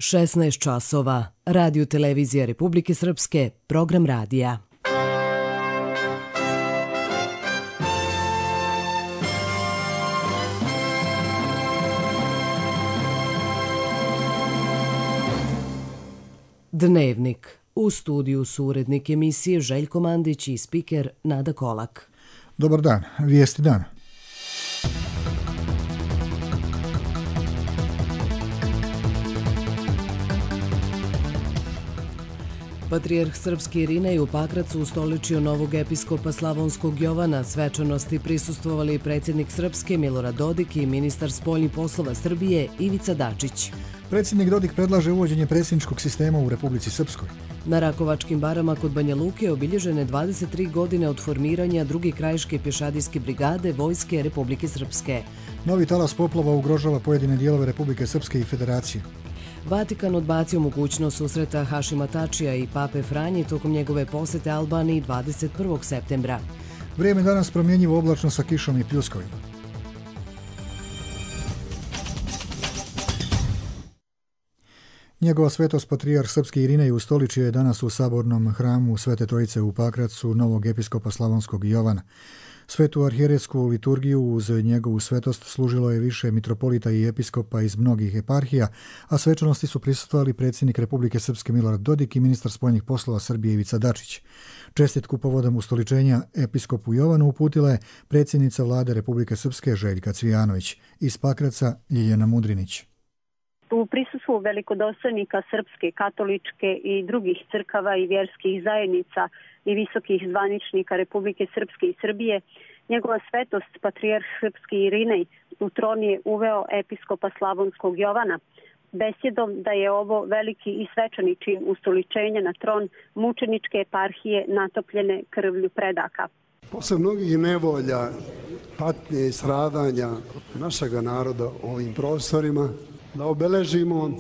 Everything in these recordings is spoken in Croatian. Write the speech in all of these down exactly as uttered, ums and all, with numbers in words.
šesnaest časova. Radio Televizija Republike Srpske, program radija. Dnevnik. U studiju su urednik emisije Željko Mandić i spiker Nada Kolak. Dobar dan, vijesti dana. Patrijarh srpski Irinej u Pakracu ustoličio novog episkopa Slavonskog Jovana. Svečanosti prisustvovali predsjednik Srpske Milorad Dodik i ministar spoljnih poslova Srbije Ivica Dačić. Predsjednik Dodik predlaže uvođenje predsjedničkog sistema u Republici Srpskoj. Na Rakovačkim barama kod Banja Luke obilježene dvadeset tri godine od formiranja druge krajiške pješadijske brigade Vojske Republike Srpske. Novi talas poplava ugrožava pojedine dijelove Republike Srpske i Federacije. Vatikan odbacio mogućnost susreta Hašima Tačija i Pape Franje tokom njegove posjete Albaniji dvadeset prvog septembra. Vrijeme danas promjenjivo, oblačno sa kišom i pljuskovima. Njegova svetost patrijarh srpski Irinej ustoličio je danas u sabornom hramu Svete Trojice u Pakracu novog episkopa Slavonskog Jovana. Svetu arhijeretsku liturgiju uz njegovu svetost služilo je više mitropolita i episkopa iz mnogih eparhija, a svečanosti su prisustvovali predsjednik Republike Srpske Milorad Dodik i ministar spoljnih poslova Srbije Ivica Dačić. Čestitku povodom ustoličenja episkopu Jovanu uputila je predsjednica vlade Republike Srpske Željka Cvijanović. Iz Pakraca Ljiljana Mudrinić. U prisustvu velikodostojnika Srpske, katoličke i drugih crkava i vjerskih zajednica i visokih zvaničnika Republike Srpske i Srbije, njegova svetost patrijarh srpski Irinej u tron je uveo episkopa Slavonskog Jovana, besjedom da je ovo veliki i svečani čin ustoličenja na tron mučeničke eparhije natopljene krvlju predaka. Posle mnogih nevolja, patnje i stradanja našega naroda u ovim prostorima, da obeležimo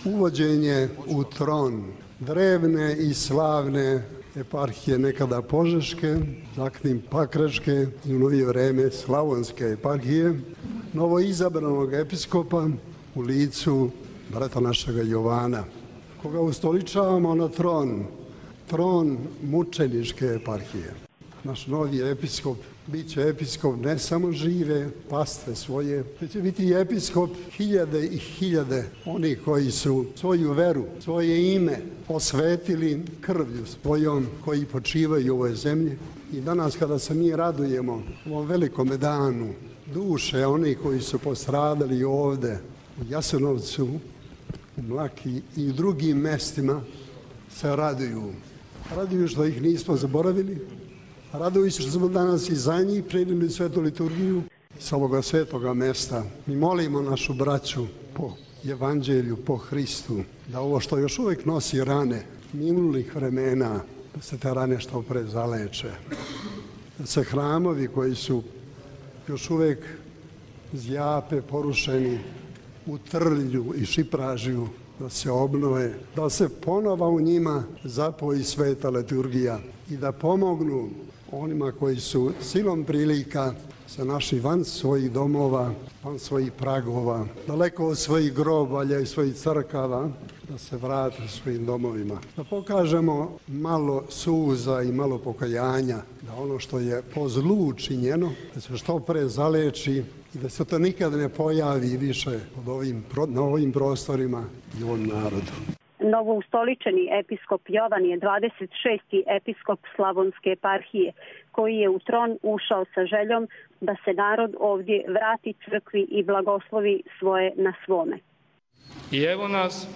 uvođenje u tron drevne i slavne eparhije nekada Požeške, zatim Pakračke i u novije vreme Slavonske eparhije, novoizabranog episkopa u licu brata našega Jovana, koga ustoličavamo na tron, tron mučeničke eparhije. Naš novi episkop bit će episkop ne samo žive pastve svoje, već će biti episkop hiljade i hiljade onih koji su svoju veru, svoje ime posvetili krvlju svojom, koji počivaju u ovoj zemlji. I danas kada se mi radujemo ovom velikom danu, duše onih koji su postradali ovde u Jasenovcu, u Mlaki i u drugim mestima se raduju. Raduju što ih nismo zaboravili. Raduju se što smo danas i za njih prenijeli svetu liturgiju sa ovoga svetoga mesta. Mi molimo našu braću po evanđelju, po Hristu, da ovo što još uvijek nosi rane minulih vremena, da se te rane što pre zaleče. Da se hramovi koji su još uvijek zjape, porušeni u trlju i šipražiju, da se obnove, da se ponova u njima zapoji sveta liturgija i da pomognu onima koji su silom prilika se našli van svojih domova, van svojih pragova, daleko od svojih grobalja i svojih crkava, da se vrate svojim domovima. Da pokažemo malo suza i malo pokajanja, da ono što je po zlu činjeno, da se što pre zaleči i da se to nikad ne pojavi više od ovim, na ovim prostorima i ovom narodu. Novoustoličeni episkop Jovan je dvadeset šesti episkop Slavonske eparhije, koji je u tron ušao sa željom da se narod ovdje vrati crkvi i blagoslovi svoje na svome. I evo nas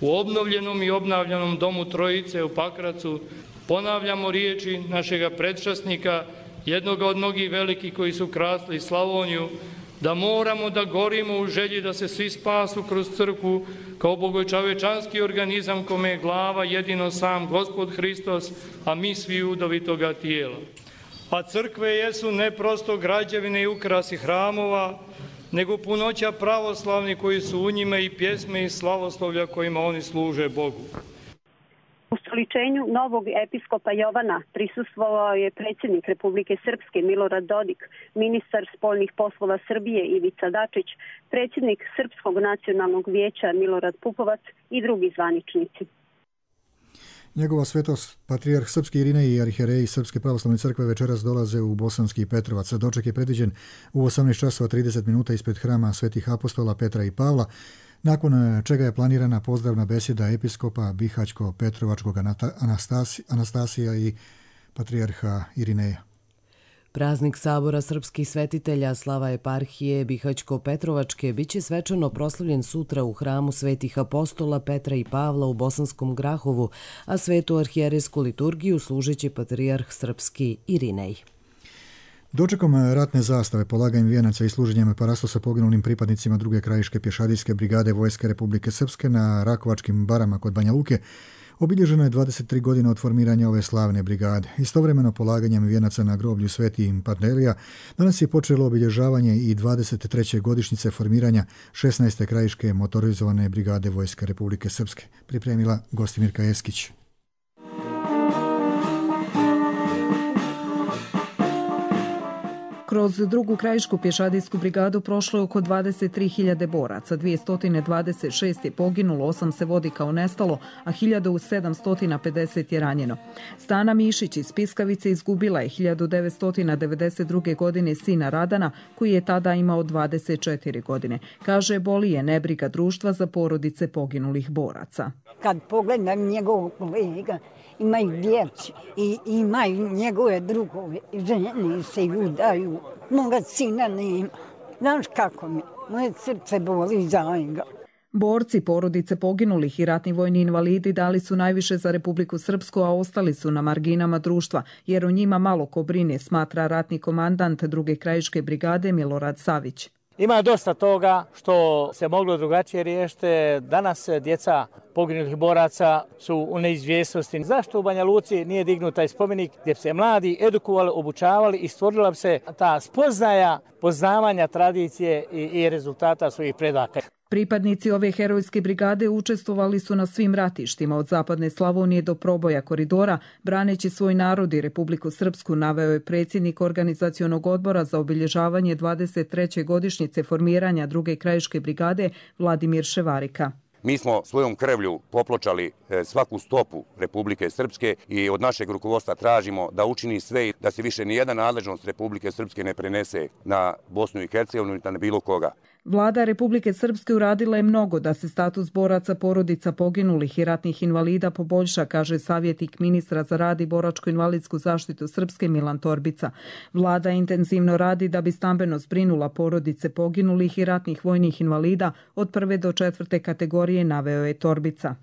u obnovljenom i obnavljanom domu Trojice u Pakracu ponavljamo riječi našega predšasnika, jednoga od mnogih velikih koji su krasili Slavoniju, da moramo da gorimo u želji da se svi spasu kroz crkvu kao bogočovečanski organizam kome je glava jedino sam Gospod Hristos, a mi svi udovi toga tijela. A crkve jesu ne prosto građevine i ukrasi hramova, nego punoća pravoslavni koji su u njima i pjesme i slavoslovlja kojima oni služe Bogu. Ustoličenju novog episkopa Jovana prisustvovao je predsjednik Republike Srpske Milorad Dodik, ministar spoljnih poslova Srbije Ivica Dačić, predsjednik Srpskog nacionalnog vijeća Milorad Pupovac i drugi zvaničnici. Njegova svetost, patrijarh Srpski Irinej i arhijereji Srpske pravoslavne crkve večeras dolaze u Bosanski Petrovac. Doček je predviđen u osamnaest časova trideset minuta ispred hrama svetih apostola Petra i Pavla, nakon čega je planirana pozdravna besjeda episkopa Bihaćko-Petrovačkog Anastasi, Anastasija i patrijarha Irineja. Praznik Sabora srpskih svetitelja slava eparhije Bihaćko-Petrovačke biće svečano proslavljen sutra u hramu svetih apostola Petra i Pavla u Bosanskom Grahovu, a svetu arhijerejsku liturgiju služeće patrijarh srpski Irinej. Dočekom ratne zastave, polaganjem vijenaca i služenjem parastosa poginulim pripadnicima druge krajiške pješadijske brigade Vojske Republike Srpske na Rakovačkim barama kod Banja Luke, obilježeno je dvadeset tri godine od formiranja ove slavne brigade. Istovremeno polaganjem vijenaca na groblju Sveti Pantelija, danas je počelo obilježavanje i dvadeset treće godišnjice formiranja šesnaeste krajiške motorizovane brigade Vojske Republike Srpske. Pripremila Gostimirka Eskić. Kroz drugu krajišku pješadijsku brigadu prošlo je oko dvadeset tri hiljade boraca, dvjesto dvadeset šest je poginulo, osam se vodi kao nestalo, a hiljadu sedamsto pedeset je ranjeno. Stana Mišić iz Piskavice izgubila je hiljadu devetsto devedeset druge. godine sina Radana, koji je tada imao dvadeset četiri godine. Kaže, boli je nebriga društva za porodice poginulih boraca. Kad pogledam njegovog kolega, imaju djeci i imaju njegove drugove, žene se udaju, moga sina nema. Znaš kako mi, moje srce boli za njega. Borci, porodice poginulih i ratni vojni invalidi dali su najviše za Republiku Srpsku, a ostali su na marginama društva, jer o njima malo ko brine, smatra ratni komandant druge krajiške brigade Milorad Savić. Ima dosta toga što se moglo drugačije riješiti. Danas djeca poginulih boraca su u neizvjesnosti. Zašto u Banja Luci nije dignut taj spomenik gdje se mladi edukovali, obučavali i stvorila se ta spoznaja poznavanja tradicije i, i rezultata svojih predaka. Pripadnici ove herojske brigade učestvovali su na svim ratištima od zapadne Slavonije do proboja koridora, braneći svoj narod i Republiku Srpsku, naveo je predsjednik organizacionog odbora za obilježavanje dvadeset treće godišnjice formiranja druge krajiške brigade Vladimir Ševarika. Mi smo svojom krvlju popločali svaku stopu Republike Srpske i od našeg rukovodstva tražimo da učini sve da se više nijedna nadležnost Republike Srpske ne prenese na Bosnu i Hercegovinu niti na bilo koga. Vlada Republike Srpske uradila je mnogo da se status boraca, porodica poginulih i ratnih invalida poboljša, kaže savjetnik ministra za rad i boračko-invalidsku zaštitu Srpske Milan Torbica. Vlada intenzivno radi da bi stambeno zbrinula porodice poginulih i ratnih vojnih invalida od prve do četvrte kategorije, naveo je Torbica.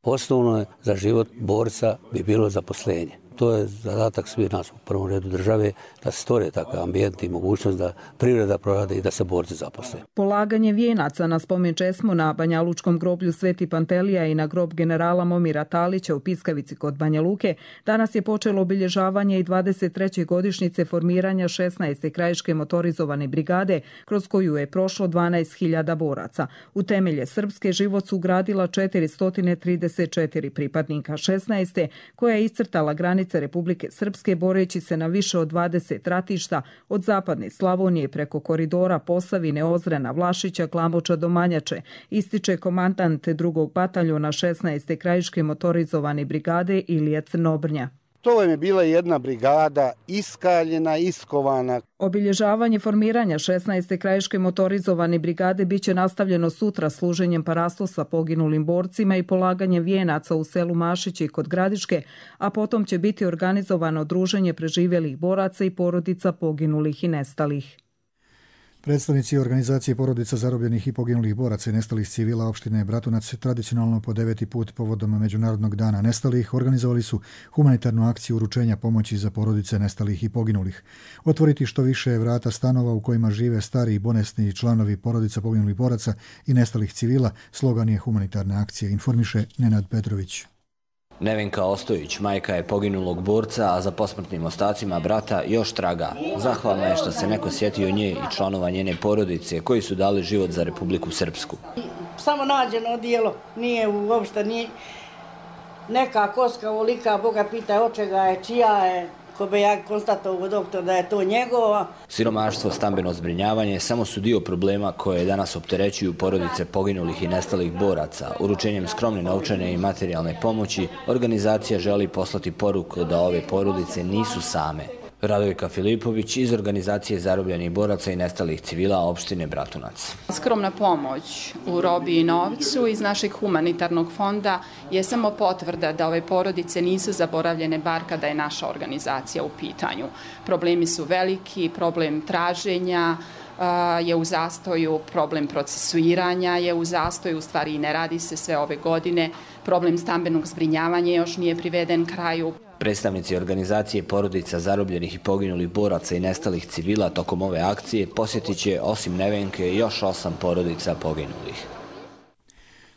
Osnovno je za život borca bi bilo zaposlenje. To je zadatak svih nas u prvom redu države, da se stvore takav ambijent i mogućnost da privreda prorade i da se borci zaposle. Polaganje vijenaca na spomen česmu na Banjalučkom groblju Sveti Pantelija i na grob generala Momira Talića u Piskavici kod Banja Luke danas je počelo obilježavanje i dvadeset treće godišnjice formiranja šesnaeste krajiške motorizovane brigade, kroz koju je prošlo dvanaest hiljada boraca. U temelje srpske život su ugradila četiristo trideset četiri pripadnika šesnaeste, koja je iscrtala granice Republike Srpske boreći se na više od dvadeset ratišta od zapadne Slavonije preko koridora Posavine, Ozrena, Vlašića, Glamoča do Manjače, ističe komandant drugog bataljona šesnaeste krajiške motorizovane brigade Ilija Crnobrnja. To je bila jedna brigada iskaljena, iskovana. Obilježavanje formiranja šesnaeste krajiške motorizovane brigade biće nastavljeno sutra služenjem parastosa poginulim borcima i polaganjem vijenaca u selu Mašići kod Gradiške, a potom će biti organizovano druženje preživjelih boraca i porodica poginulih i nestalih. Predstavnici organizacije porodica zarobljenih i poginulih boraca i nestalih civila opštine Bratunac tradicionalno po deveti put povodom Međunarodnog dana nestalih organizovali su humanitarnu akciju uručenja pomoći za porodice nestalih i poginulih. Otvoriti što više vrata stanova u kojima žive stari i bolesni članovi porodica poginulih boraca i nestalih civila slogan je humanitarne akcije, informiše Nenad Petrović. Nevenka Ostojić, majka je poginulog borca, a za posmrtnim ostacima brata još traga. Zahvalna je što se neko sjetio nje i članova njene porodice koji su dali život za Republiku Srpsku. Samo nađeno odijelo, nije uopšte, nije, neka koska ulika, Boga pita od čega je, čija je, ko bi ja konstatovao doktor da je to njegova. Siromaštvo, stambeno zbrinjavanje samo su dio problema koje danas opterećuju porodice poginulih i nestalih boraca. Uručenjem skromne novčane i materijalne pomoći, organizacija želi poslati poruku da ove porodice nisu same. Radojka Filipović iz organizacije zarobljenih boraca i nestalih civila opštine Bratunac. Skromna pomoć u robi i novcu iz našeg humanitarnog fonda je samo potvrda da ove porodice nisu zaboravljene bar kada je naša organizacija u pitanju. Problemi su veliki, problem traženja je u zastoju, problem procesuiranja je u zastoju, u stvari ne radi se sve ove godine, problem stambenog zbrinjavanja još nije priveden kraju. Predstavnici organizacije porodica zarobljenih i poginulih boraca i nestalih civila tokom ove akcije posjetit će osim Nevenke još osam porodica poginulih.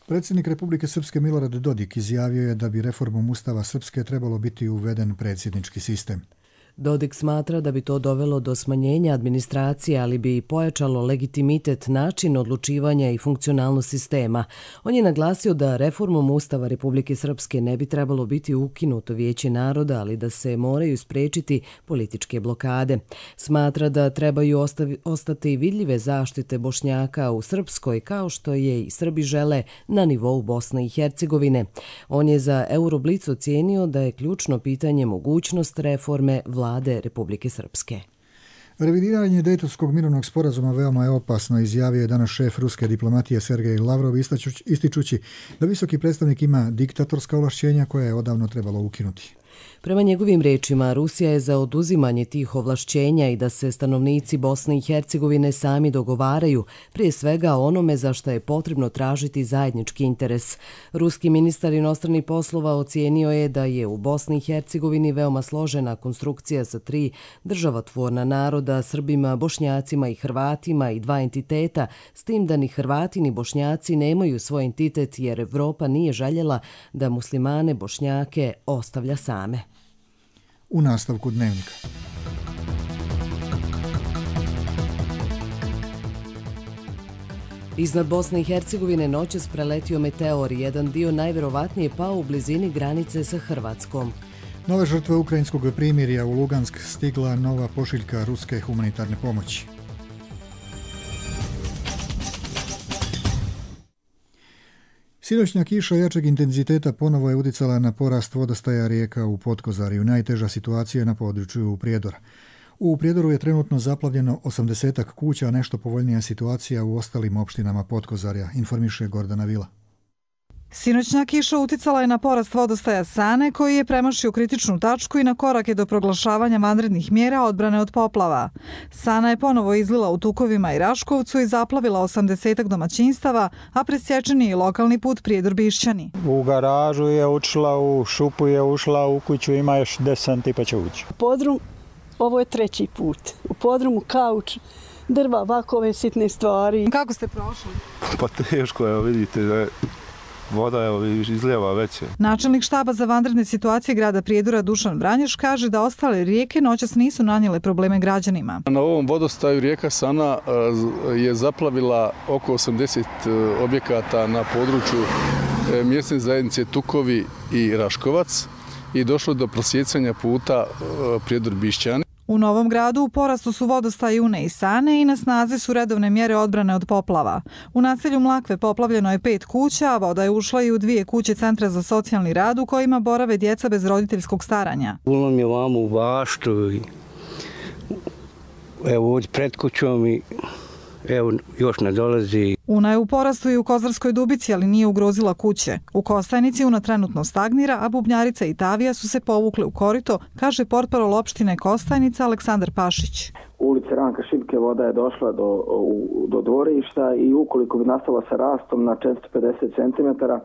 Predsjednik Republike Srpske Milorad Dodik izjavio je da bi reformom Ustava Srpske trebalo biti uveden predsjednički sistem. Dodik smatra da bi to dovelo do smanjenja administracije, ali bi i pojačalo legitimitet, način odlučivanja i funkcionalnost sistema. On je naglasio da reformom Ustava Republike Srpske ne bi trebalo biti ukinuto Vijeće naroda, ali da se moraju spriječiti političke blokade. Smatra da trebaju ostavi, ostati vidljive zaštite Bošnjaka u Srpskoj, kao što je i Srbi žele na nivou Bosne i Hercegovine. On je za Euroblic ocijenio da je ključno pitanje mogućnost reforme vlade Republike Srpske. Revidiranje Dejtonskog mirovnog sporazuma veoma je opasno, izjavio je danas šef ruske diplomatije Sergej Lavrov, ističući da visoki predstavnik ima diktatorska ovlašćenja koja je odavno trebalo ukinuti. Prema njegovim rečima, Rusija je za oduzimanje tih ovlašćenja i da se stanovnici Bosne i Hercegovine sami dogovaraju, prije svega onome za što je potrebno tražiti zajednički interes. Ruski ministar inostranih poslova ocijenio je da je u Bosni i Hercegovini veoma složena konstrukcija sa tri državotvorna naroda, Srbima, Bošnjacima i Hrvatima i dva entiteta, s tim da ni Hrvati ni Bošnjaci nemaju svoj entitet jer Evropa nije željela da muslimane Bošnjake ostavlja same. U nastavku dnevnika. Iznad Bosne i Hercegovine noćas preletio meteor, jedan dio najverovatnije pao u blizini granice sa Hrvatskom. Nove žrtve ukrajinskog primirja, u Lugansk stigla nova pošiljka ruske humanitarne pomoći. Sinoćna kiša jačeg intenziteta ponovo je uticala na porast vodostaja rijeka u Potkozariju. Najteža situacija je na području Prijedora. U Prijedoru je trenutno zaplavljeno osamdesetak kuća, a nešto povoljnija situacija u ostalim opštinama Potkozarja, informiše Gordana Vila. Sinoćna kiša uticala je na porast vodostaja Sane, koji je premašio kritičnu tačku i na korake do proglašavanja vanrednih mjera odbrane od poplava. Sana je ponovo izlila u Tukovima i Raškovcu i zaplavila osamdesetak domaćinstava, a presječen je i lokalni put Prijedor-Bišćani. U garažu je ušla, u šupu je ušla, u kuću ima još deset santi pa će ući. Podrum, ovo je treći put. U podrumu kauč, drva, vakove, sitne stvari. Kako ste prošli? Pa teško je, vidite da je voda je izlijeva veće. Načelnik štaba za vanredne situacije grada Prijedora Dušan Vranješ kaže da ostale rijeke noćas nisu nanijele probleme građanima. Na ovom vodostaju rijeka Sana je zaplavila oko osamdeset objekata na području mjesne zajednice Tukovi i Raškovac i došlo do prosjecanja puta Prijedor-Bišćani. U Novom Gradu u porastu su vodostaji Une i Sane i na snazi su redovne mjere odbrane od poplava. U naselju Mlakve poplavljeno je pet kuća, a voda je ušla i u dvije kuće Centra za socijalni rad u kojima borave djeca bez roditeljskog staranja. Ulom je vamo u baštu i evo ovdje pred kućom i evo još ne dolazi. Una je u porastu i u Kozarskoj Dubici, ali nije ugrozila kuće. U Kostajnici Una trenutno stagnira, a Bubnjarica i Tavija su se povukle u korito, kaže portparol opštine Kostajnica Aleksandar Pašić. U ulici Ranka Šipke voda je došla do, u, do dvorišta i ukoliko bi nastala sa rastom na četiristo pedeset centimetara,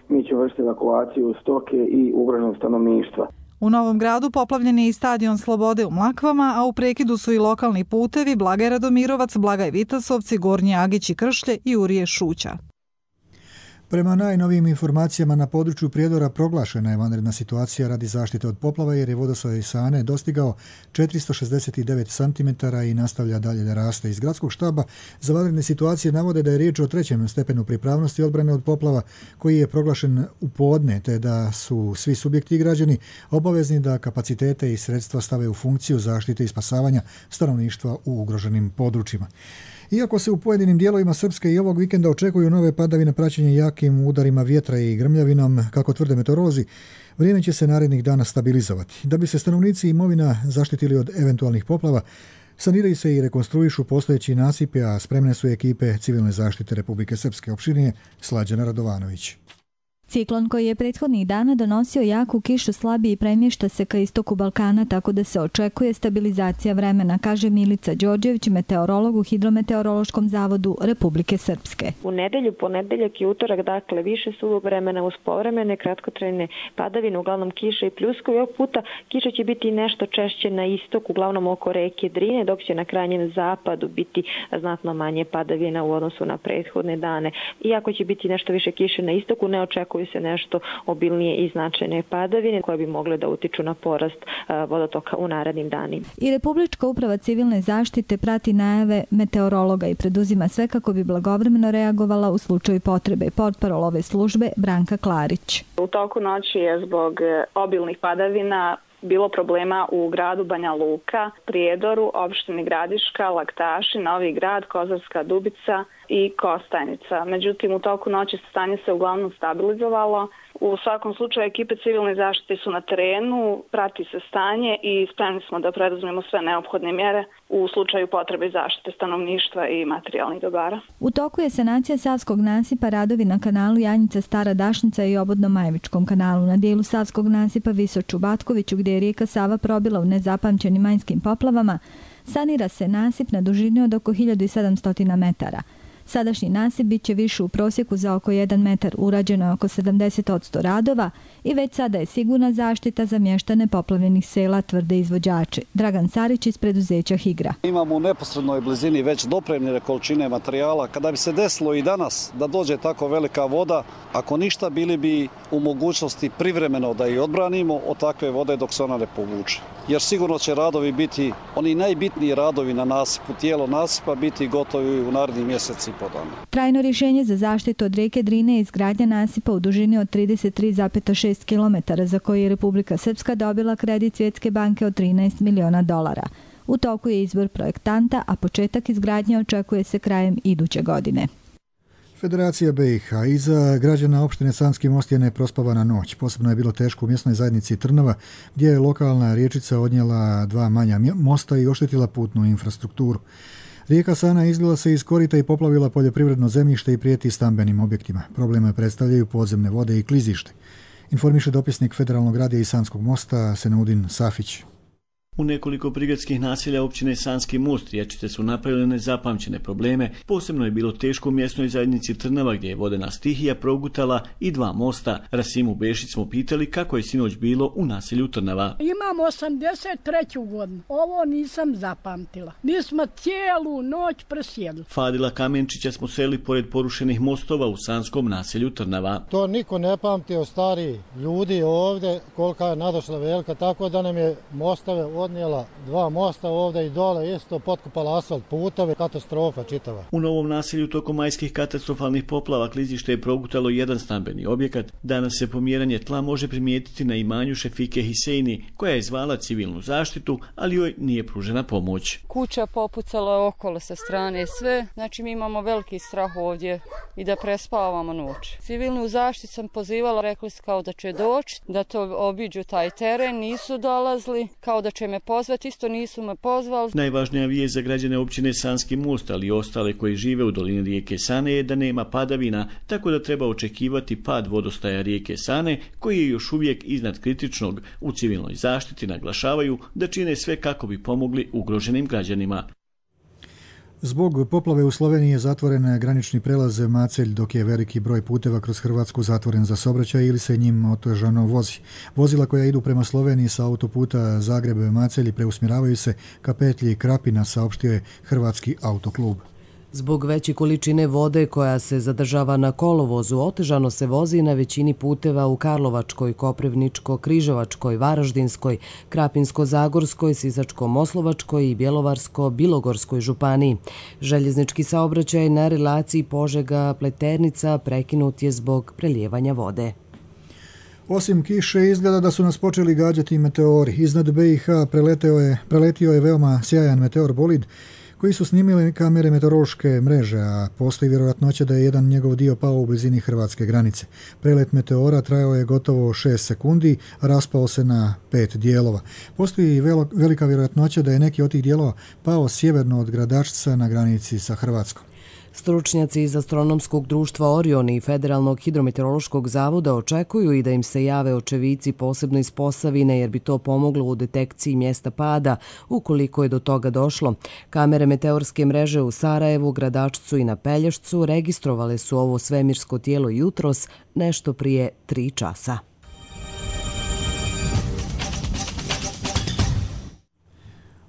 mi ćemo vršiti evakuaciju stoke i ugroženog stanovništva. U Novom Gradu poplavljen je i stadion Slobode u Mlakvama, a u prekidu su i lokalni putevi Blagaj Radomirovac, Blagaj Vitasovci, Gornji Agić i Kršlje i Urije Šuća. Prema najnovijim informacijama na području Prijedora proglašena je vanredna situacija radi zaštite od poplava jer je vodostaj Sane dostigao četiristo šezdeset devet centimetara i nastavlja dalje da raste. Iz gradskog štaba za vanredne situacije navode da je riječ o trećem stepenu pripravnosti odbrane od poplava koji je proglašen u podne, te da su svi subjekti i građani obavezni da kapacitete i sredstva stave u funkciju zaštite i spasavanja stanovništva u ugroženim područjima. Iako se u pojedinim dijelovima Srpske i ovog vikenda očekuju nove padavine praćenje jakim udarima vjetra i grmljavinom, kako tvrde meteorolozi, vrijeme će se narednih dana stabilizovati. Da bi se stanovnici i imovina zaštitili od eventualnih poplava, saniraju se i rekonstruišu postojeći nasipi, a spremne su ekipe civilne zaštite Republike Srpske. Opširnije Slađana Radovanović. Ciklon koji je prethodnih dana donosio jaku kišu slabije i premješta se ka istoku Balkana, tako da se očekuje stabilizacija vremena, kaže Milica Đorđević, meteorolog u Hidrometeorološkom zavodu Republike Srpske. U nedelju, ponedeljak i utorak, dakle, više suvog vremena uz povremene kratkotrajne padavine, uglavnom kiša i pljuskovi. Ovog puta kiša će biti nešto češće na istoku, uglavnom oko reke Drine, dok će na krajnjem zapadu biti znatno manje padavina u odnosu na prethodne dane. Iako će biti nešto više kiše na istoku, ne očekuju se nešto obilnije i značajne padavine koje bi mogle da utiču na porast vodotoka u narednim danima. I Republička uprava civilne zaštite prati najave meteorologa i preduzima sve kako bi blagovremeno reagovala u slučaju potrebe. Portparol ove službe Branka Klarić. U toku noći je zbog obilnih padavina bilo problema u gradu Banja Luka, Prijedoru, opštini Gradiška, Laktaši, Novi Grad, Kozarska Dubica i Kostajnica. Međutim, u toku noći stanje se uglavnom stabilizovalo. U svakom slučaju ekipe civilne zaštite su na terenu, prati se stanje i spremni smo da preduzmemo sve neophodne mjere u slučaju potrebe zaštite stanovništva i materijalnih dobara. U toku je sanacija Savskog nasipa, radovi na kanalu Janjica Stara Dašnica i Obodno-Majevičkom kanalu. Na dijelu Savskog nasipa Visoču Batkoviću, gdje je rijeka Sava probila u nezapamćenim majskim poplavama, sanira se nasip na dužini od oko hiljadu sedamsto metara. Sadašnji nasip bit će više u prosjeku za oko jedan metar, urađeno je oko sedamdeset posto radova i već sada je sigurna zaštita za mještane poplavljenih sela, tvrde izvođači. Dragan Sarić iz preduzeća Higra. Imamo u neposrednoj blizini već dopremljene količine materijala. Kada bi se desilo i danas da dođe tako velika voda, ako ništa bili bi u mogućnosti privremeno da i odbranimo od takve vode dok se ona ne povuče. Jer sigurno će radovi biti, oni najbitniji radovi na nasipu, tijelo nasipa biti gotovi u narednih mjeseci i po dana. Trajno rješenje za zaštitu od rijeke Drine je izgradnja nasipa u dužini od trideset tri zarez šest kilometara za koji je Republika Srpska dobila kredit Svjetske banke od trinaest miliona dolara. U toku je izbor projektanta, a početak izgradnje očekuje se krajem iduće godine. Federacija B i H iza građana opštine Sanski Most je neprospavana noć. Posebno je bilo teško u mjesnoj zajednici Trnava, gdje je lokalna riječica odnijela dva manja mosta i oštetila putnu infrastrukturu. Rijeka Sana izlila se iz korita i poplavila poljoprivredno zemljište i prijeti stambenim objektima. Probleme predstavljaju podzemne vode i klizište. Informiše dopisnik Federalnog radija iz Sanskog Mosta Senaudin Safić. U nekoliko prigradskih naselja općine Sanski Most riječice su napravile nezapamćene probleme. Posebno je bilo teško u mjesnoj zajednici Trnava, gdje je vodena stihija progutala i dva mosta. Rasimu Bešić smo pitali kako je sinoć bilo u naselju Trnava. Imam osamdeset treću godinu. Ovo nisam zapamtila. Mi smo cijelu noć presjedli. Fadila Kamenčića smo seli pored porušenih mostova u sanskom naselju Trnava. To niko ne pamti od stariji ljudi ovdje, kolika je nadošla velika, tako da nam je mostove odnijela dva mosta ovdje i dole, isto potkupala asfalt putove, katastrofa čitava. U novom naselju tokom majskih katastrofalnih poplava klizište je progutalo jedan stambeni objekat. Danas se pomjeranje tla može primijetiti na imanju Šefike Hiseini, koja je zvala civilnu zaštitu, ali joj nije pružena pomoć. Kuća popucala je okolo sa strane sve, znači mi imamo veliki strah ovdje i da prespavamo noć. Civilnu zaštitu sam pozivala, rekli su kao da će doći, da to obiđu taj teren, nisu dolazili, kao da će me pozvati, isto nisu me pozvali. Najvažnija vijest za građane općine Sanski Most, ali i ostale koji žive u dolini rijeke Sane, je da nema padavina, tako da treba očekivati pad vodostaja rijeke Sane, koji je još uvijek iznad kritičnog. U civilnoj zaštiti naglašavaju da čine sve kako bi pomogli ugroženim građanima. Zbog poplave u Sloveniji je zatvoren granični prelaz Macelj, dok je veliki broj puteva kroz Hrvatsku zatvoren za saobraćaj ili se njim otežano vozi. Vozila koja idu prema Sloveniji sa autoputa Zagreb-Macelj preusmjeravaju se ka petlji Krapina, saopštio je Hrvatski autoklub. Zbog veće količine vode koja se zadržava na kolovozu, otežano se vozi na većini puteva u Karlovačkoj, Koprivničko-Križevačkoj, Varaždinskoj, Krapinsko-Zagorskoj, Sisačko-Moslovačkoj i Bjelovarsko-Bilogorskoj županiji. Željeznički saobraćaj na relaciji Požega-Pleternica prekinut je zbog prelijevanja vode. Osim kiše, izgleda da su nas počeli gađati meteori. Iznad be i ha preletio je, preletio je veoma sjajan meteor bolid koji su snimili kamere meteorološke mreže, a postoji vjerojatnoća da je jedan njegov dio pao u blizini hrvatske granice. Prelet meteora trajao je gotovo šest sekundi, a raspao se na pet dijelova. Postoji velika vjerojatnoća da je neki od tih dijelova pao sjeverno od Gradačca na granici sa Hrvatskom. Stručnjaci iz Astronomskog društva Orion i Federalnog hidrometeorološkog zavoda očekuju i da im se jave očevici posebno iz Posavine jer bi to pomoglo u detekciji mjesta pada ukoliko je do toga došlo. Kamere meteorske mreže u Sarajevu, Gradačcu i na Pelješcu registrovale su ovo svemirsko tijelo jutros nešto prije tri časa.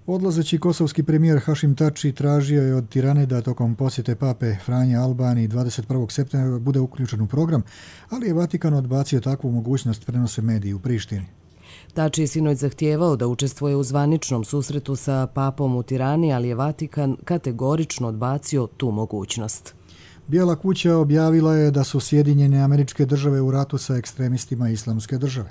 Odlazeći kosovski premijer Hašim Tači tražio je od Tirane da tokom posjete pape Franje Albaniji dvadeset prvog septembra bude uključen u program, ali je Vatikan odbacio takvu mogućnost, prenose mediji u Prištini. Tači je sinoć zahtijevao da učestvuje u zvaničnom susretu sa papom u Tirani, ali je Vatikan kategorično odbacio tu mogućnost. Bijela kuća objavila je da su Sjedinjene Američke Države u ratu sa ekstremistima Islamske države.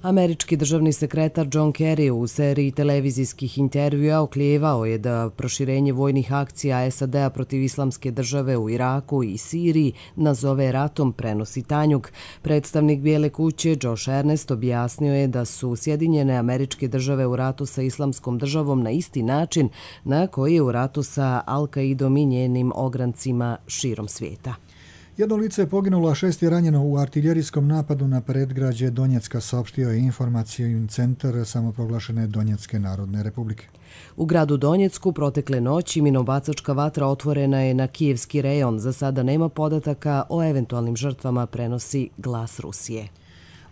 Američki državni sekretar John Kerry u seriji televizijskih intervjua oklijevao je da proširenje vojnih akcija es a de a protiv Islamske države u Iraku i Siriji nazove ratom, prenosi Tanjug. Predstavnik Bijele kuće Josh Earnest objasnio je da su Sjedinjene Američke Države u ratu sa Islamskom državom na isti način na koji je u ratu sa Al-Qaidom i njenim ograncima širom svijeta. Jedno lice je poginulo, a šest je ranjeno u artiljerijskom napadu na predgrađe Donjecka, saopštio je informacijski centar samoproglašene Donjecke narodne republike. U gradu Donjecku protekle noći minobacačka vatra otvorena je na kijevski rejon. Za sada nema podataka o eventualnim žrtvama, prenosi Glas Rusije.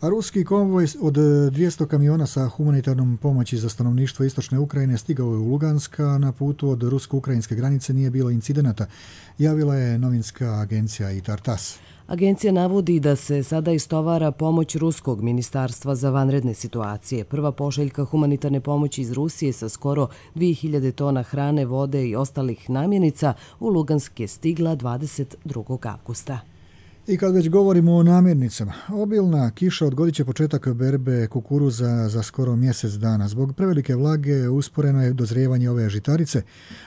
A ruski konvoj od dvjesto kamiona sa humanitarnom pomoći za stanovništvo istočne Ukrajine stigao je u Lugansk, a na putu od rusko-ukrajinske granice nije bilo incidenata, javila je novinska agencija i Tartas. Agencija navodi da se sada istovara pomoć Ruskog ministarstva za vanredne situacije. Prva pošiljka humanitarne pomoći iz Rusije sa skoro dvije hiljade tona hrane, vode i ostalih namjenica u Lugansk je stigla dvadeset drugog avgusta. I kad već govorimo o namirnicama, obilna kiša odgodit će početak berbe kukuruza za skoro mjesec dana. Zbog prevelike vlage usporeno je dozrijevanje ove žitarice,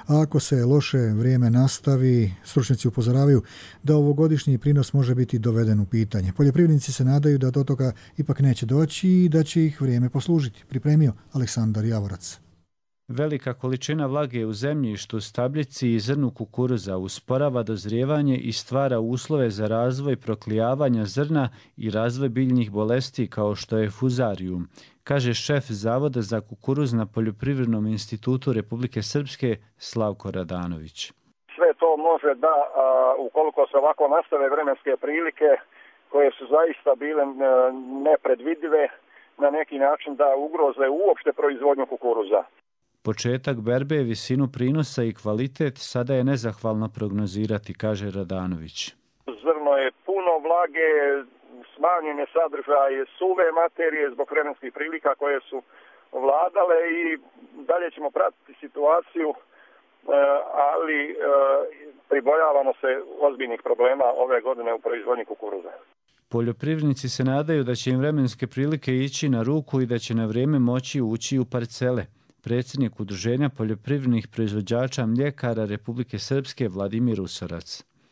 a ako se loše vrijeme nastavi, stručnjaci upozoravaju da ovogodišnji prinos može biti doveden u pitanje. Poljoprivrednici se nadaju da do toga ipak neće doći i da će ih vrijeme poslužiti, pripremio Aleksandar Javorac. Velika količina vlage u zemljištu, stabljici i zrnu kukuruza usporava dozrijevanje i stvara uslove za razvoj proklijavanja zrna i razvoj biljnih bolesti kao što je fuzarium, kaže šef Zavoda za kukuruz na Poljoprivrednom institutu Republike Srpske Slavko Radanović. Sve to može da, ukoliko se ovako nastave vremenske prilike koje su zaista bile nepredvidive, na neki način da ugroze uopšte proizvodnju kukuruza. Početak berbe, visinu prinosa i kvalitet sada je nezahvalno prognozirati, kaže Radanović. Zrno je puno vlage, smanjen je sadržaj suve materije zbog vremenskih prilika koje su vladale i dalje ćemo pratiti situaciju, ali pribojavamo se ozbiljnih problema ove godine u proizvodnji kukuruza. Poljoprivrednici se nadaju da će im vremenske prilike ići na ruku i da će na vrijeme moći ući u parcele. Predsjednik Udruženja poljoprivrednih proizvođača mljekara Republike Srpske Vladimir Usorac.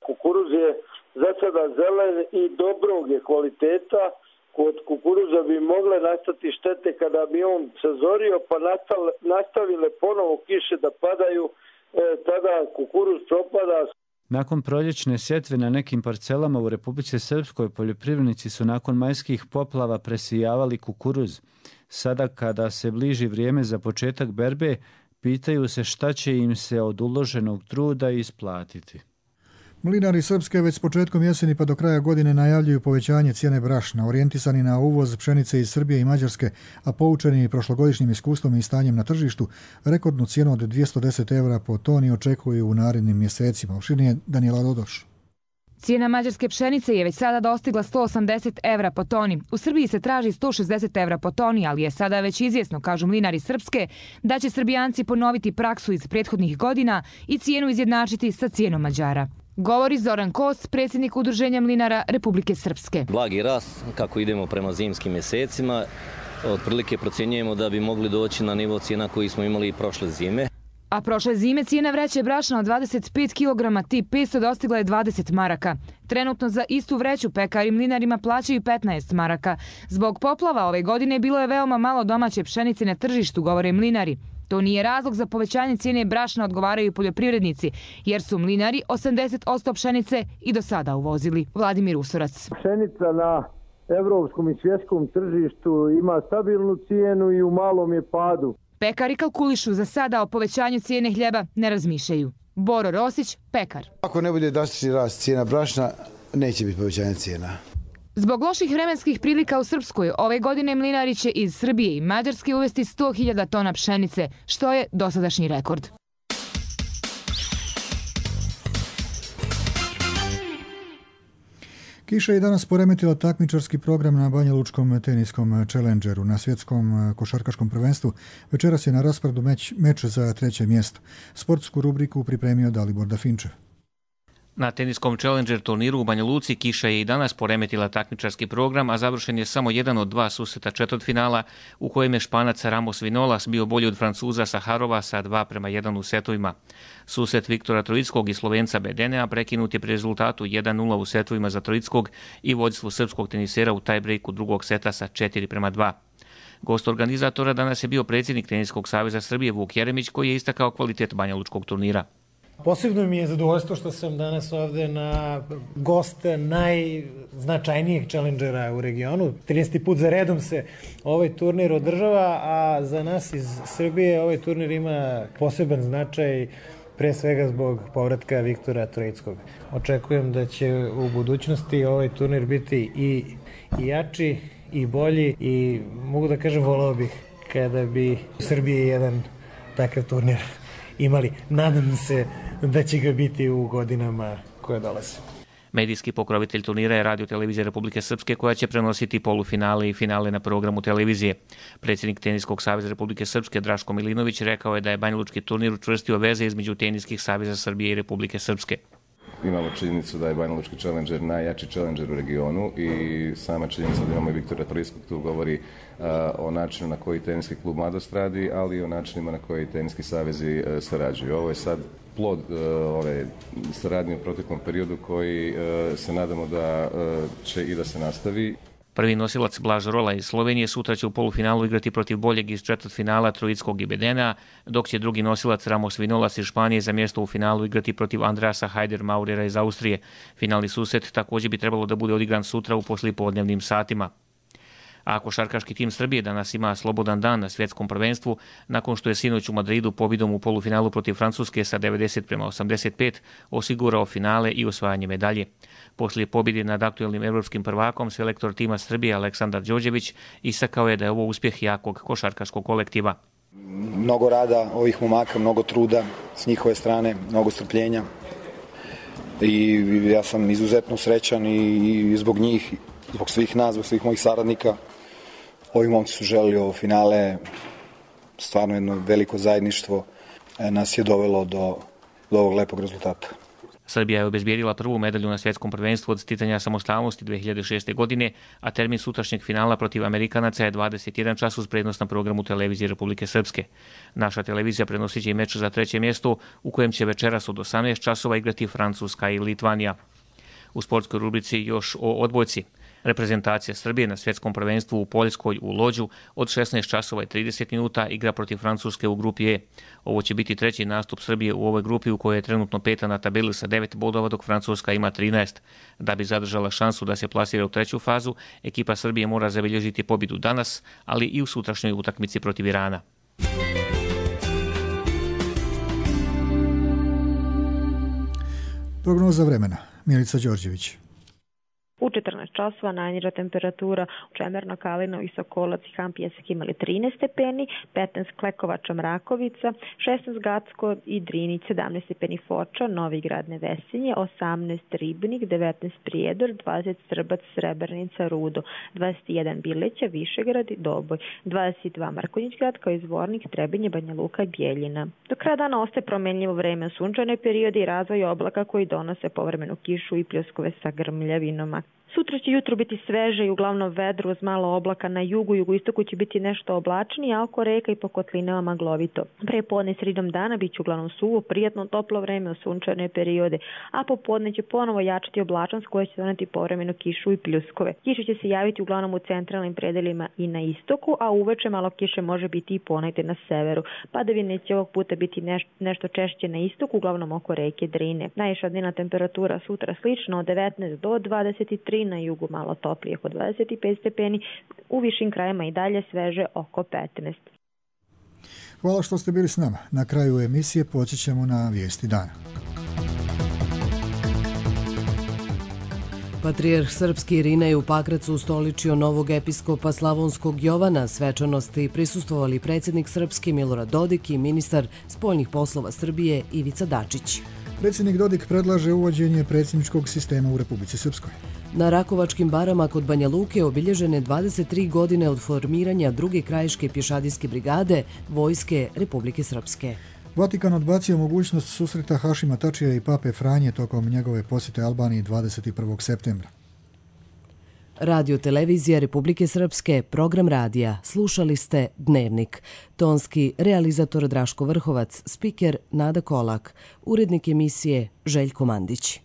Kukuruz je za sada zelen i dobrog je kvaliteta. Kod kukuruza bi mogle nastati štete kada bi on sazorio pa nastavile ponovo kiše da padaju, e, tada kukuruz propada. Nakon proljećne sjetve na nekim parcelama u Republici Srpskoj poljoprivrednici su nakon majskih poplava presijavali kukuruz. Sada kada se bliži vrijeme za početak berbe, pitaju se šta će im se od uloženog truda isplatiti. Mlinari Srpske već s početkom jeseni pa do kraja godine najavljuju povećanje cijene brašna, orijentisani na uvoz pšenice iz Srbije i Mađarske, a poučeni prošlogodišnjim iskustvom i stanjem na tržištu, rekordnu cijenu od dvjesto deset evra po toni očekuju u narednim mjesecima. Opširnije Danijela Dodoš. Cijena mađarske pšenice je već sada dostigla sto osamdeset evra po toni. U Srbiji se traži sto šezdeset evra po toni, ali je sada već izvjesno, kažu mlinari Srpske, da će Srbijanci ponoviti praksu iz prethodnih godina i cijenu izjednačiti sa cijenom Mađara. Govori Zoran Kos, predsjednik Udruženja mlinara Republike Srpske. Blagi rast, kako idemo prema zimskim mjesecima, otprilike procjenjujemo da bi mogli doći na nivo cijena koji smo imali i prošle zime. A prošle zime cijena vreće brašna od dvadeset pet kilograma tip petsto dostigla je dvadeset maraka. Trenutno za istu vreću pekari mlinarima plaćaju petnaest maraka. Zbog poplava ove godine bilo je veoma malo domaće pšenice na tržištu, govore mlinari. To nije razlog za povećanje cijene brašna, odgovaraju poljoprivrednici, jer su mlinari osamdeset posto pšenice i do sada uvozili. Vladimir Usorac. Pšenica na evropskom i svjetskom tržištu ima stabilnu cijenu i u malom je padu. Pekari kalkulišu za sada o povećanju cijene hljeba ne razmišljaju. Boro Rosić, pekar. Ako ne bude drastični rast cijena brašna, neće biti povećanje cijena. Zbog loših vremenskih prilika u Srpskoj, ove godine mlinari će iz Srbije i Mađarske uvesti sto hiljada tona pšenice, što je dosadašnji rekord. Kiša je danas poremetila takmičarski program na banjalučkom teniskom Challengeru. Na svjetskom košarkaškom prvenstvu večeras je na rasporedu meč, meč za treće mjesto. Sportsku rubriku pripremio Dalibor Dafinčev. Na teniskom Challenger turniru u Banja Luci kiša je i danas poremetila takmičarski program, a završen je samo jedan od dva susreta četvrtfinala u kojem je Španac Ramos Vinolas bio bolji od Francuza Saharova sa dva prema jedan u setovima. Susret Viktora Trojickog i Slovenca Bedenea prekinut je pri rezultatu jedan nula u setovima za Trojickog i vođstvo srpskog tenisera u tiebreaku drugog seta sa četiri prema dva. Gost organizatora danas je bio predsjednik Teniskog saveza Srbije Vuk Jeremić, koji je istakao kvalitet banjalučkog turnira. Posebno mi je zadovoljstvo što sam danas ovde na gost najznačajnijeg Challengera u regionu. trinaesti put za redom se ovaj turnir održava, a za nas iz Srbije ovaj turnir ima poseban značaj, pre svega zbog povratka Viktora Trojickog. Očekujem da će u budućnosti ovaj turnir biti i, i jači i bolji i mogu da kažem volao bih kada bi u Srbiji jedan takav turnir imali. Nadam se da će ga biti u godinama koje dolaze. Medijski pokrovitelj turnira je Radio televizija Republike Srpske, koja će prenositi polufinale i finale na programu televizije. Predsjednik Teniskog saveza Republike Srpske Draško Milinović rekao je da je banjalučki turnir učvrstio veze između Teniskih saveza Srbije i Republike Srpske. Imamo činjenicu da je banjalučki Challenger najjači Challenger u regionu i sama činjenica da imamo i Viktora Trojickog tu govori uh, o načinu na koji teniski klub Mladost radi, ali i o načinima na koji teniski savezi uh, sarađuju. Ovo je sad plod uh, ove saradnje u proteklom periodu koji uh, se nadamo da uh, će i da se nastavi. Prvi nosilac Blaž Rola iz Slovenije sutra će u polufinalu igrati protiv boljeg iz četvrtfinala Trojickog i Bedenea, dok će drugi nosilac Ramos Vinolas iz Španije za mjesto u finalu igrati protiv Andreasa Hajder Maurera iz Austrije. Finalni susret također bi trebalo da bude odigran sutra u poslijepodnevnim satima. A košarkaški tim Srbije danas ima slobodan dan na svjetskom prvenstvu, nakon što je sinoć u Madridu pobjedom u polufinalu protiv Francuske sa devedeset prema osamdeset pet osigurao finale i osvajanje medalje. Poslije pobjede nad aktuelnim evropskim prvakom, selektor tima Srbije Aleksandar Đorđević istakao je da je ovo uspjeh jakog košarkaškog kolektiva. Mnogo rada ovih momaka, mnogo truda s njihove strane, mnogo strpljenja i ja sam izuzetno srećan i zbog njih, zbog svih nas, zbog svih mojih saradnika. Ovi momci su želeli ovo finale, stvarno jedno veliko zajedništvo nas je dovelo do, do ovog lepog rezultata. Srbija je obezbijedila prvu medalju na svjetskom prvenstvu od sticanja samostalnosti dvije hiljade šeste. godine, a termin sutrašnjeg finala protiv Amerikanaca je dvadeset jedan čas uz prednost na programu televizije Republike Srpske. Naša televizija prenosit će i meč za treće mjesto, u kojem će večeras od osamnaest časova igrati Francuska i Litvanija. U sportskoj rubrici još o odbojci. Reprezentacija Srbije na svjetskom prvenstvu u Poljskoj u Lođu od šesnaest časova i trideset minuta igra protiv Francuske u grupi E. Ovo će biti treći nastup Srbije u ovoj grupi u kojoj je trenutno peta na tabeli sa devet bodova, dok Francuska ima trinaest. Da bi zadržala šansu da se plasira u treću fazu, ekipa Srbije mora zabilježiti pobjedu danas, ali i u sutrašnjoj utakmici protiv Irana. Prognoza vremena. Milica Đorđević. U četrnaest časova najniža temperatura u Čemerno, Kalinovo i Sokolac i Han Pijesak imali trinaest stepeni, petnaest Klekovača, Mrakovica, šesnaest Gacko i Drinić, sedamnaest stepeni Foča, Novi Grad, Nevesinje, osamnaest Ribnik, devetnaest Prijedor, dvadeset Srbac, Srebrnica, Rudo, dvadeset jedan Bileća, Višegrad i Doboj, dvadeset dva Markonjić grad kao izvornik, Trebinje, Banja Luka i Bijeljina. Do kraja dana ostaje promenljivo vreme, sunčane periode i razvoj oblaka koji donose povremenu kišu i pljuskove sa grmljavinama. Sutra će jutro biti sveže i uglavnom vedro uz malo oblaka na jugu, jugoistoku će biti nešto oblačnije, a oko reka i po kotlinama maglovito. Pre podne sredom dana bit će uglavnom suvo, prijatno toplo vreme u sunčane periode, a popodne će ponovo jačati oblačnost koja će doneti povremeno kišu i pljuskove. Kiša će se javiti uglavnom u centralnim predelima i na istoku, a uveče malo kiše može biti i ponegde na severu. Padavine će ovog puta biti neš, nešto češće na istoku, uglavnom oko reke Drine. Najviša dnevna temperatura sutra slično od devetnaest do dvadeset tri, na jugu malo toplije oko dvadeset pet stepeni, u višim krajima i dalje sveže oko petnaest. Hvala što ste bili s nama. Na kraju emisije poći ćemo na vijesti dana. Patrijarh srpski Irina je u Pakracu ustoličio novog episkopa Slavonskog Jovana. Svečanosti prisustvovali predsjednik Srpske Milorad Dodik i ministar spoljnih poslova Srbije Ivica Dačić. Predsjednik Dodik predlaže uvođenje predsjedničkog sistema u Republici Srpskoj. Na Rakovačkim barama kod Banja Luke obilježene dvadeset tri godine od formiranja druge krajiške pješadijske brigade Vojske Republike Srpske. Vatikan odbacio mogućnost susreta Hašima Tačija i pape Franje tokom njegove posjete Albaniji dvadeset prvog septembra. Radio televizija Republike Srpske, program radija. Slušali ste Dnevnik. Tonski realizator Draško Vrhovac, spiker Nada Kolak, urednik emisije Željko Mandić.